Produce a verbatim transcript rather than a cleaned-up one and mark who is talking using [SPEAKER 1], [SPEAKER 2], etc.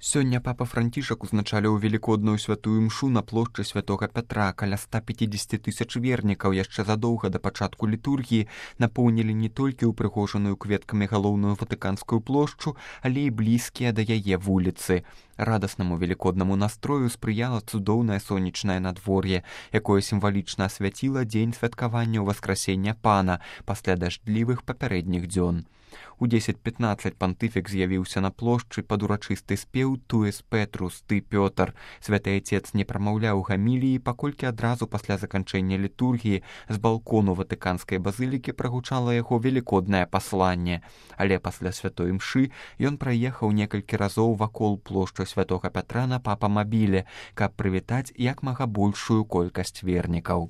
[SPEAKER 1] Сёння папа Францішак узначаліў велікодную святую імшу на плошчы святога Пятра. Каля ста пяцідзесяці тысяч вернікаў яшчэ задоўга да пачатку літургіі напоўнілі не толькі ўпрыгожаную кветкамі галоўную ватыканскую плошчу, але і блізкія да яе вуліцы. Радаснаму велікоднаму настрою спрыяла цудоўнае сонечнае надвор'е, якое сімвалічна асвяціла дзень святкавання васкрасення пана пасля дажджлівых папярэдніх дзён. У дзесяць пятнаццаць пантыфік з'явіўся на плошчы пад урачысты спеў «Туэс Петрус, ты Пётр». Святы Отец не прамаўляў гаміліі, паколькі адразу пасля заканчэння літургіі з балкону ватыканскай базылікі прагучала яго велікоднае пасланне. Але пасля святой імшы ён праехаў некалькі разоў вакол плошчы святога Пятра на папамабіле, каб прывітаць як мага большую колькасць вернікаў.